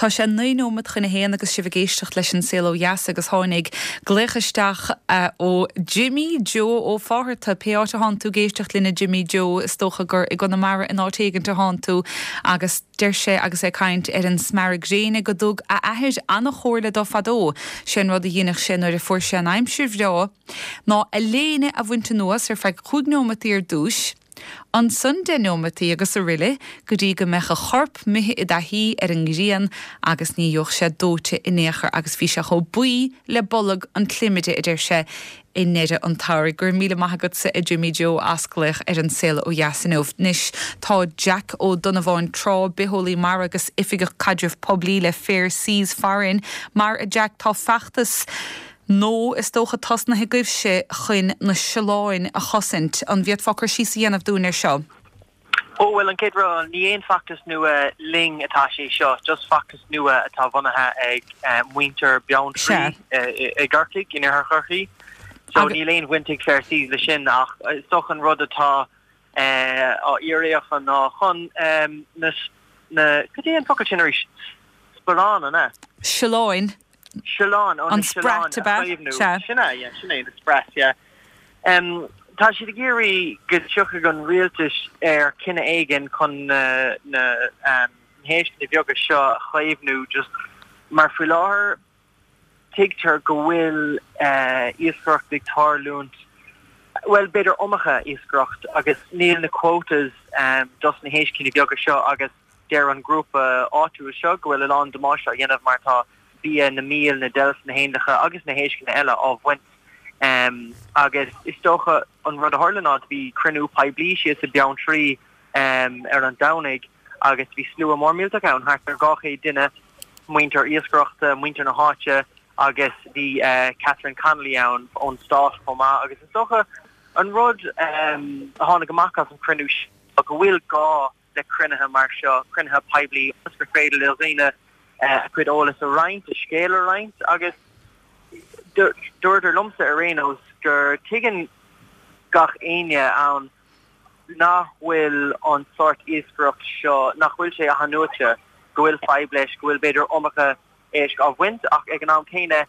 Tá sé 9 nóimeat chun a haon agus sibh ag éisteacht leis An Saol Ó Dheas agus tháinig glaoch isteach ó Jimí Joe Ó Fátharta. Pé áit atánn tú ag éisteacht linn a Jimí Joe, is dócha gur i gConamara in áit éigint atánn tú agus deir sé agus é ag caint ar an smearadh gréine go dtug a athair an-chomhairle dó fadó. Sé an rud a dheineadh sé nuair a fuair sé an aimsir bhreá ná a léine a bhaint anuas ar feadh chúig neomataí ar dtúis, Ansan 10 neomataí agus aroile go dtí go mbeadh a chorp imithe i dtaithí ar an ngrian agus ní gheobhadh sé dóite in aon chor agus bhí sé chomh buí le bolg an tsliomaire, a deir sé, i ndeireadh an tsamhraidh. Go raibh míle maith agatsa, a Jimí Joe, as glaoch ar An Saol Ó Dheas inniu. Anois tá Jack Ó Donnabháin Trá, bitheolaí mara agus Oifigeach Caidrimh Poiblí le Fair Seas farainn. Mar, a Jack, tá feachtas. Nó is dócha tosnaithe agaibhse chun na siolláin a chosaint. An bhféadfá cur síos a dhéanamh dúinn ar seo? Ó, bhuel, an chéad rud, ní aon feachtas nua linn atá sé seo, just feachtas nua atá bunaithe ag muintir Beanntraí i gCorcaigh, in Iarthar Chorcaí. So níl aon bhaint ag Fair Seas le sin ach is dócha an rud atá á iarraidh acu ná chun na, na, cad é an focal sin arís? Sparán, an ea? Siolláin. Siolláin, ó, na siolláin a chaomhnú. Sin é, yeah, sin é, na sprats, yeah. Tá siad ag iarraidh go dtiocfaidh an rialtas ar chinneadh éigin chun na, na héisceanna beaga seo a chaomhnú just mar faoi láthair tuigtear go bhfuil iascaireacht ag tarlúint, bhuel, b'fhéidir iomarca iascaireacht agus níl na quotas dos na héisceanna beaga seo agus Deir an grúpa áitiúil seo go bhfuil a lán damáiste á dhéanamh mar tá bia na míol, na deilf, na héanlacha agus na héisceanna eile á bhaint agus is dócha an rud a tharla ná do bhí cruinniú poiblí síos i Beanntraí ar an Domhnaigh agus bhí slua mór millteach ann, thart ar 200 duine, muintir iascaireachta, muintir na háite agus bhí Catherine Connolly ann ón stát chomh maith agus is dócha an rud a tháinig amach as an chruinniú seo go bhfuil gá le cruinnithe mar seo, cruinnithe poiblí, ionas gur féidir le dhaoine a gcuid eolais a roinnt, a scéal a roinnt agus dúradar liomsa ar aon nós gur tuigeann gach éinne ann nach bhfuil an sórt iascaireacht seo, nach bhfuil sé athnuaite, go bhfuil fadhb leis, go bhfuil b'fhéidir iomarca éisc á bhaint ach ag an am céanna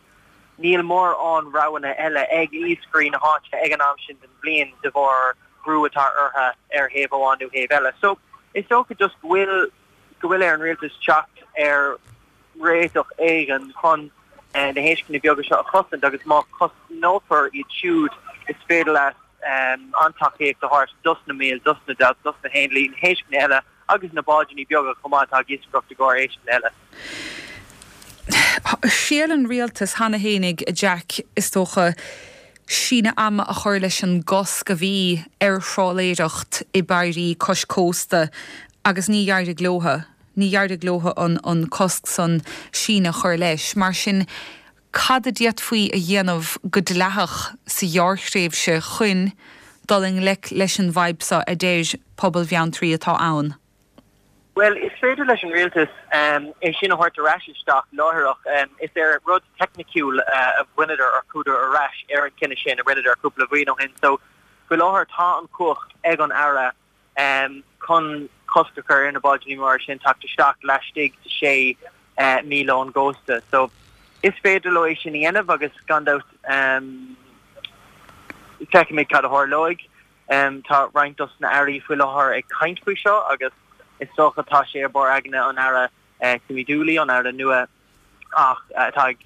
níl mórán roghanna eile ag iascairí na háite ag an am sin den bhliain de bharr brú atá orthu ar thaobh amháin nó thaobh eile. So is dócha just go bhfuil go bhfuil ar an rialtas teacht ar réiteach éigin chun na héisceanna beaga seo a chosaint agus má chosnófar iad siúd is féidir leat an-tacaíocht a thabhairt dos na míl, dos na deilf, dos na héanlaith, na héisceanna eile agus na báidíní beaga chomh maith atá ag iascaireacht i gcomhair éisceanna eile. Thriail an rialtas cheana fhéinig, a Jack, is dócha, síneadh ama a chur leis an gcosc a bhí ar thrálaeireacht i bpairí cois cósta agus ní d'éirigh leotha, ní d'éirigh leotha an cosc san síneadh a chur leis. Mar sin, Cad a d'fhéadfaí a dhéanamh go dleathach sa ghearrthréimhse chun dul i ngleic leis an bhfadhb seo a deir pobal Bheanntraí atá ann? Bhuel, is féidir leis an rialtas é sin a thabhairt ar ais isteach láithreach. Is ar rud teicniciúil a bhaineadar or chuadar ar ais ar an chinneadh sin a rinneadar cúpla bhliain ó shin. So, faoi láthair tá an chumhacht ag an Aire chun cosc a chur ar na báidíní móra sin teacht isteach laistigh de sé míle ón gcósta. So, is féidir leo é sin a dhéanamh agus gan dabht feicfimid cad a tharlóidh. Tá roinnt dos na airí faoi láthair ag caint faoi seo agus is dócha tá sé ar barr aigne an Aire Timmy Dooley, an Aire nua ach atá ag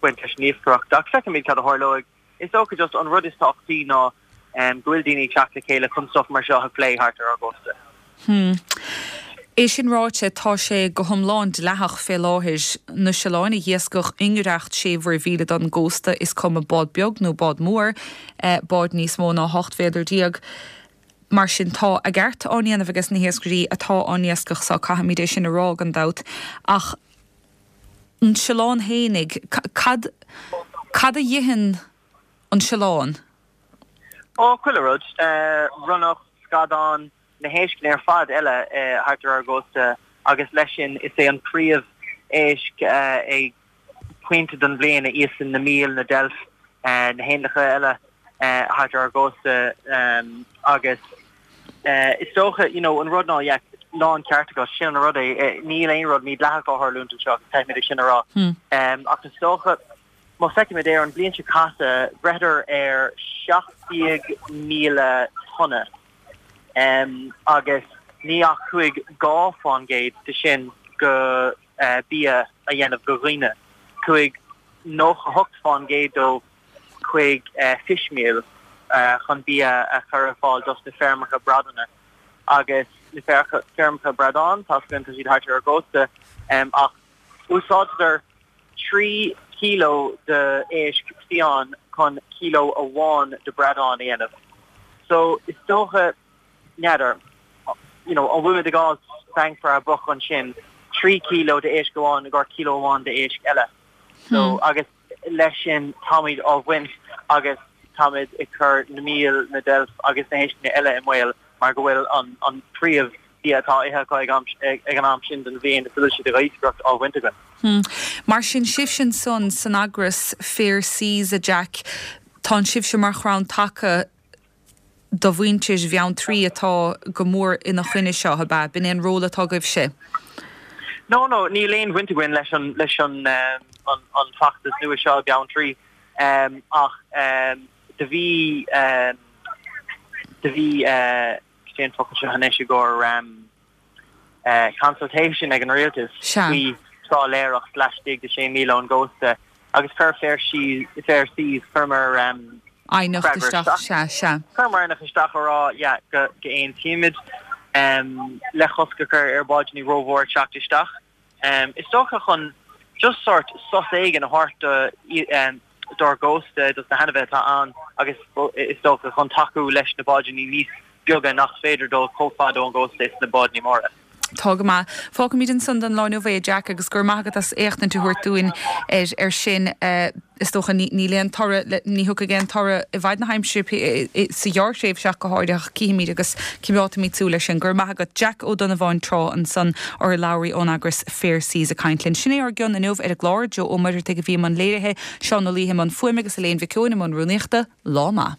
baint leis an iascaireacht. Ach feicfimid cad a tharlóidh. Is dócha just an rud is tábhachtaí ná go bhfuil daoine ag teacht le chéile chun stuff mar seo a phlé thart ar ár gcósta. Hmm. É sin ráite, tá sé go hiomlán dleathach fé láthair na siolláin a dh'iascach i ngiorracht sé mhuirmhíle don gcósta, is cuma bád beag nó bád mór, bád níos mó ná 18 mhéadar. Mar sin, tá a gceart á ndéanamh ages na hiascairí atá á n-iascach so, caithfimid é sin a rá, gan dabht. Ach an siollán fhéinig, cad, cad a dh'itheann an siollán? Ó, chuile rud. Ronnach, scadán, na héisceanna ar fad eile thart ar ár gcósta agus leis sin is é an príomh éisc ag pointe den bhliain a íosann na míl, na deilf, na héanlacha eile thart ar ár gcósta agus is dócha, you know, an rud ná, yeah, lán ceart agat, sin an rud é, níl aon rud mídhleathach á tharlúint anseo agus caithfimid é sin a rá. Ach is dócha, má feicimid ar an bhliain seo caite, bhreitheadar ar 17,000 tonna agus ní ach chuaigh 2 fán gcéad de sin go bia a dhéanamh go dhaoine. Chuaigh 98 fán gcéad dóibh chuig fishmeal chun bia a chur ar fáil dos na feirmeacha bradáin agus na feirmeacha bradán, tá tá siad thart ar an gcósta, ach úsáidtear 3 kilo de éisc fiáin chun kilo amháin de bradán a dhéanamh. So is dócha, n'fheadar, you know, an bhfuilimid ag fháil bang for our buck ansin, 3 kilo de éisc amháin i gcomhair kilo amháin de éisc eile. So agus leis sin táimid á bhaint agus táimid ag cur na míol, na deilf agus na héisceanna eile i mbaol mar go bhfuil an príomh bia atá ithe acu ag an am sin den bhliain is a bhfuil siad ag iascaireacht á bhaint againn. Mar sin sibhse ansan san eagras Fair Seas, a Jack, tánn sibhse mar chrann taca do mhuintir Bheanntraí atá go mór ina choinne seo, ab ea? B'in é an ról atá agaibhse? No, no, níl aon bhaint againn leis an, leis an, an, an feachtas nua seo i Beanntraí, ach do bhí, do bhí, cad é an focal seo anois i gcomhair, consultation ag an rialtas faoi trálaeireacht laistigh de 6 míle ón gcósta agus chuir Fair Seas, Fair Seas, chuireamar aighneacht isteach, sea, sea. Chuireamar aighneacht isteach a rá, yeah, go n-aontaímid le cosc a chur ar bháidíní rómhór ag teacht isteach. Is dócha chun just sort sos éigin a thabhairt do dár gcósta, dos na hainmhithe atá ann agus is dócha chun tacú leis na báidíní níos beaga nach féidir dul chomh fada ón gcósta is na báidíní móra. Tá go maith. Fágfaimid ansan don lá inniu é, a Jack, agus go raibh maith agat as éachtaint a thabhairt dúinn ar sin. Is dócha níl aon toradh, ní thiocfaidh aon toradh i bhfad na haimsire sa ghearrthréimhse ach go háirithe ach cífimid agus coimeádfaimid súil air sin. Go raibh maith agat. Jack Ó Donnabháin Trá ansan, urlabhraí ón eagras Fair Seas ag caint linn. Sin é ár gcion inniu ar an gclár. Joe Ó Muircheartaigh a bhí i mbun léirithe, Seán Ó Laoithe i mbun fuaime agus Elaine Mhic Eoin i mbun rúnaíochta. Lá maith.